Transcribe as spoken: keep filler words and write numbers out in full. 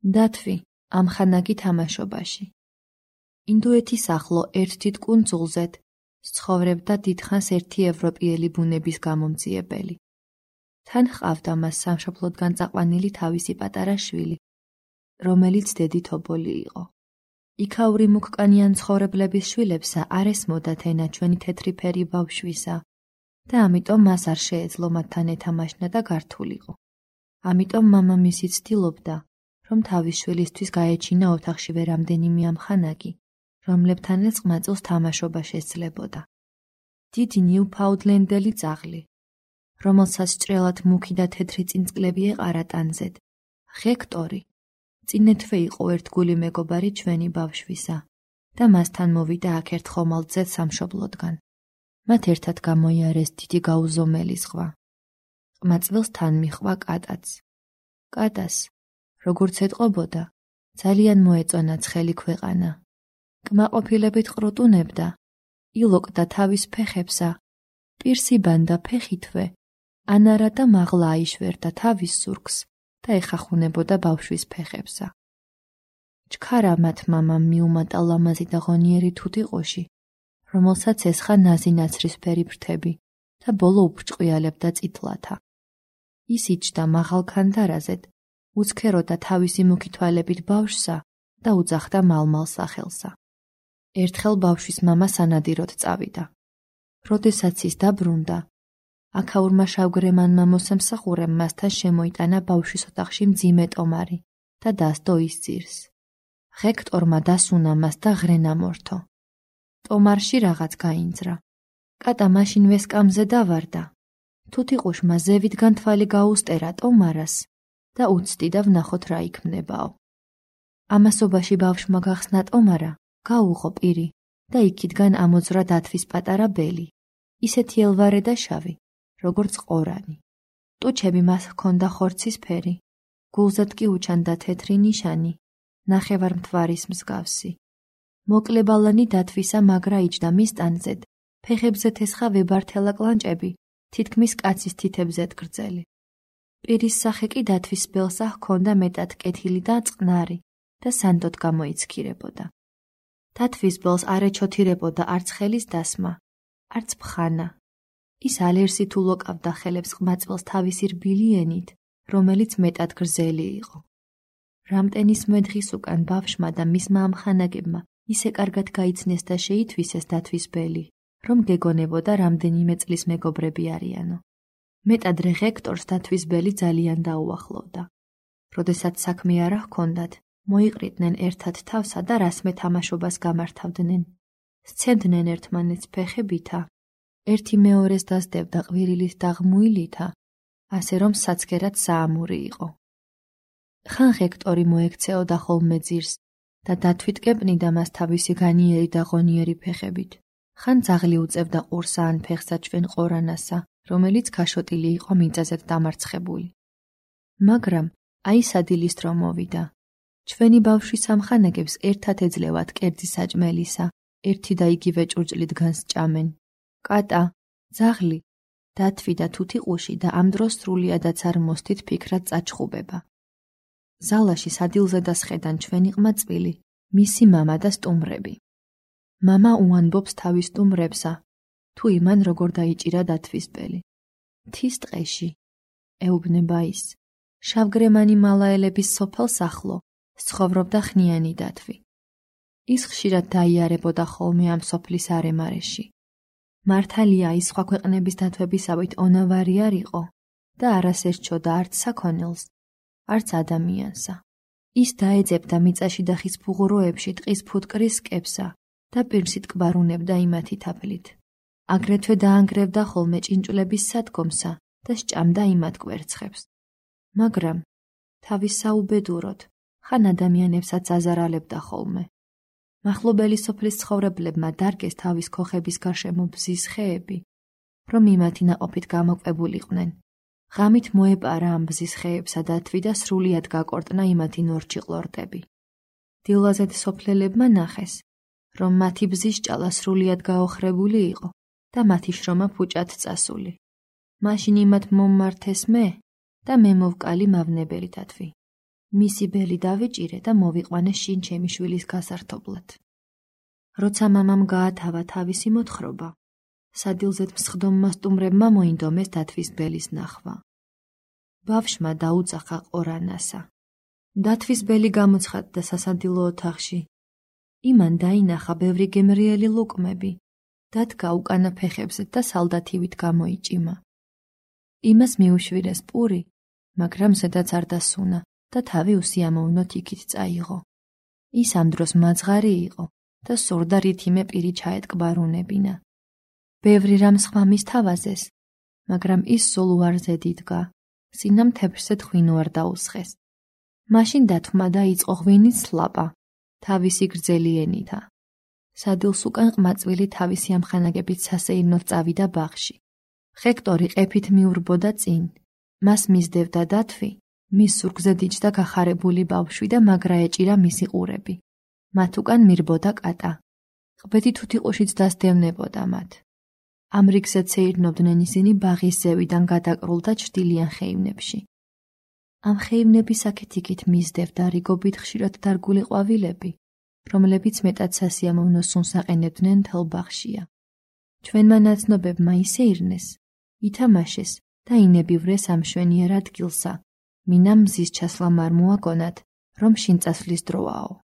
დათვი ამხანაგი თამაშობაში. ინდოეთის ახლო ერთ დიდ კუნძულზედ ცხოვრობდა დიდხანს ერთი ევროპიელი ბუნების გამომძიებელი. თან ჰყავდა მას სამშობლოდგან წაყვანილი თავისი პატარა შვილი, რომელიც დედი თობოლი იყო. იქაური მუქკანიან ცხოვრებლების შვილებსა არ ესმოდათ ენა ჩვენი თეთრი ფერი ბავშვისა და ამიტომ მას არ შეეძლო მათთან ეთამაშნა და გართულიყო. ამიტომ მამამისი ცდილობდა, რომ თავის შვილისთვის გაეჩინა ოთახშივე რამდენიმე ამხანაგი, რომლებთანაც ყმაწვილს თამაშობა შესძლებოდა. დიდი ნიუფაუნდლენდელი ძაღლი, რომელსაც ჭრელად მუქი და თეთრი წინწკლები ეყარა ტანზედ, ჰექტორი, წინეთვე იყო ერთგული მეგობარი ჩვენი ბავშვისა და მასთან მოვიდა აქ ერთ ხომალდზე სამშობლოდგან. მათ ერთად გამოიარეს დიდი გაუზომელი ზღვა. ყმაწვილს თან მიჰყვა კატაც. კატას, როგორც ეტყობოდა, ძალიან მოეწონა ცხელი ქვეყანა. კმაყოფილებით ყრუტუნებდა, ილოკდა თავის ფეხებსა, პირს იბანდა ფეხითვე, ანარა და მაღლა აიშვერდა თავის სურგს და ეხახუნებოდა ბავშვის ფეხებსა. ჩქარა მათ მამამ მიუმატა ლამაზი და ღონიერი თუთიყოში, რომელსაც ესხა ნაზი ნაცრისფერი ფრთები და ბოლო უფრჭყიალებდა წითლათა. ის იჯდა მაღალ ქანდარაზედ, უცქეროდა თავისი მუქი თვალებით ბავშვსა და უძახდა მალმალ სახელსა. ერთხელ ბავშვის მამა სანადიროდ წავიდა. როდესაც ის დაბრუნდა, აქაურმა შავგრემანმა მოსამსახურემ მასთან შემოიტანა ბავშვის ოთახში მძიმე ტომარი და დასდო ის ძირს. ჰექტორმა დასუნა მას და ღრენა მორთო. ტომარში რაღაც გაინძრა. კატა მაშინვე სკამზე დავარდა. თუთიყუშმა ზევიდან თვალი გაუსტერა ტომარას და უცდიდა ვნახოთ რა იქმნებაო. ამასობაში ბავშვმა გახსნა ტომარა, გაუღო პირი და იქიდან ამოძვრა დათვის პატარა ბელი, ისეთი ელვარე და შავი, როგორც ყორანი. ტუჩები მას ჰქონდა ხორცის ფერი, გულზედ კი უჩანდა თეთრი ნიშანი, ნახევარმთვარის მსგავსი. მოკლებალანი დათვისა მაგრა იჯდა მის ტანზედ, ფეხებზე თესხა ვებართელა კლანჭები, თითქმის კაცის თითებზედ გრძელი. პირის სახე კი დათვის ბელსა ჰქონდა მეტად კეთილი და წყნარი და სანდოდ გამოიცქირებოდა. დათვის ბელს არ ეჩოთირებოდა არც ხელის დასმა, არც ფხანა. ის ალერსით ულოკავდა ხელებს ყმაწვილს თავისი რბილი ენით, რომელიც მეტად გრძელი იყო. რამდენის მედღის უკან ბავშვმა და მისმა ამხანაგებმა ისე კარგად გაიცნეს და შეითვისეს დათვის ბელი, რომ გეგონებოდა რამდენიმე წლის მეგობრები არიანო. მეტადრე ჰექტორს დათვის ბელი ძალიან დაუახლოვდა. როდესაც საქმე არა ჰქონდათ, მოიყრიდნენ ერთად თავსა და რასმე თამაშობას გამართავდნენ. სცემდნენ ერთმანეთს ფეხებითა, ერთი მეორეს დასდებდა ყვირილით და ღმუილითა, ასე რომ საცქერად საამური იყო. ხან ჰექტორი მოექცეოდა ხოლმე ძირს და დათვით კეპნიდა მას თავისი განიერი და ღონიერი ფეხებით. ხან ძაღლი უწევდა ყურსა ან ფეხსა ჩვენ ყორანასა, რომელიც ქაშოტილი იყო მიწაზედ დამარცხებული. მაგრამ აი სადილის დრო მოვიდა. ჩვენი ბავშვის ამხანაგებს ერთად ეძლევათ კერძი საჭმელისა, ერთი და იგივე ჭურჭლით განსჭამენ. კატა, ძაღლი, დათვი და თუთიყუში და ამ დროს სრულიადაც არ მოსდით ფიქრად წაჩხუბება. ზალაში სადილზე და სხედან ჩვენი ყმაწვილი, მისი მამა და სტუმრები. მამა უამბობს თავის სტუმრებსა, თუ იმან როგორ დაიჭირა დათვის ბელი. მთის ტყეში, ეუბნება ის, შავგრემანი მალაელების სოფელს ახლო, ცხოვრობდა ხნიანი დათვი. ის ხშირად დაიარებოდა ხოლმე ამ სოფლის არემარეში. მართალია ის სხვა ქვეყნების დათვებისავით ონავარი არ იყო და არას ერჩოდა არც საქონელს, არც ადამიანსა. ის დაეძებდა მიწაში და ხის ფუღუროებში ტყის ფუტკრის სკებსა და პირსით კბარუნებდა იმათი თაფლით. აგრეთვე დაანგრევდა ხოლმე ჭინჭვლების სადგომსა და სჭამდა იმათ კვერცხებს. მაგრამ თავის საუბედუროდ ხან ადამიანებსაც აზარალებდა ხოლმე. მახლობელი სოფლის ცხოვრებლებმა დარგეს თავის ქოხების გარშემო ბზის ხეები, რომ იმათი ნაყოფით გამოკვებულიყვნენ. ღამით მოეპარა ამ ბზის ხეებსა დათვი და სრულიად გაკორტნა იმათი ნორჩი ყლორტები. დილაზედ სოფლელებმა ნახეს, რომ მათი ბზის ჭალა სრულიად გაოხრებული იყო და მათი შრომა ფუჭად წასული. მაშინ იმათ მომმართეს მე და მე მოვკალი მავნებელი დათვი. მისი ბელი დავიჭირე და მოვიყვანე შინ ჩემი შვილის გასართობლად. როცა მამამ გაათავა თავისი მოთხრობა, სადილზედ მსხდომმა სტუმრებმა მოინდომეს დათვის ბელის ნახვა. ბავშვმა დაუწახა ყორანასა. დათვის ბელი გამოცხადდა სასადილო ოთახში. იმან დაინახა ბევრი გემრიელი ლუკმები, დადგა უკანა ფეხებზე და სალდათივით გამოიჭიმა. იმას მიუშვირეს პური, მაგრამ ზედაც არ დასუნა და თავი უსიამოვნოდ იქით წაიღო. ის ამ დროს მაძღარი იყო და სურდა რითიმე პირი ჩაეტკბარუნებინა. ბევრი რამ სხვა მის თავაზეს, მაგრამ ის სულ უარზე დიდგა, სინამ თეფრზე თხვინო არ დაუსხეს. მაშინ დათვმა დაიწყო ღვინის სლაპა, თავისი გრძელი ენითა. სადილს უკან ყმაწვილი თავისი ამხანაგებით სასეირნოდ წავიდა ბაღში. ჰექტორი ყეფით მიურბოდა წინ, მას მისდევდა დათვი, მის სურგზე დიჯდა გახარებული ბავშვი და მაგრა ეჭირა მისი ყურები. მათ უკან მირბოდა კატა. ყბეთი თუთიყუშიც დასდევნებოდა მათ. ამ რიგზე ცეირნობდნენ ისინი ბაღის ზევიდან გადაკრულ და ჩრდილიან ხეივნებში. ამ ხეივნების აქეთ-იქით მისდევდა რიგობით ხშირად დარგული ყვავილები, რომლებიც მეტად სასიამოვნო სუნს აყენებდნენ მთელ ბაღშია. ჩვენმა ნაცნობებმა ისეირნეს, ითამაშეს და ინებივრეს ამ მშვენიერ ადგილსა, მინამ მზის ჩასლა არ მოაგონათ, რომ შინ წასვლის დროაო.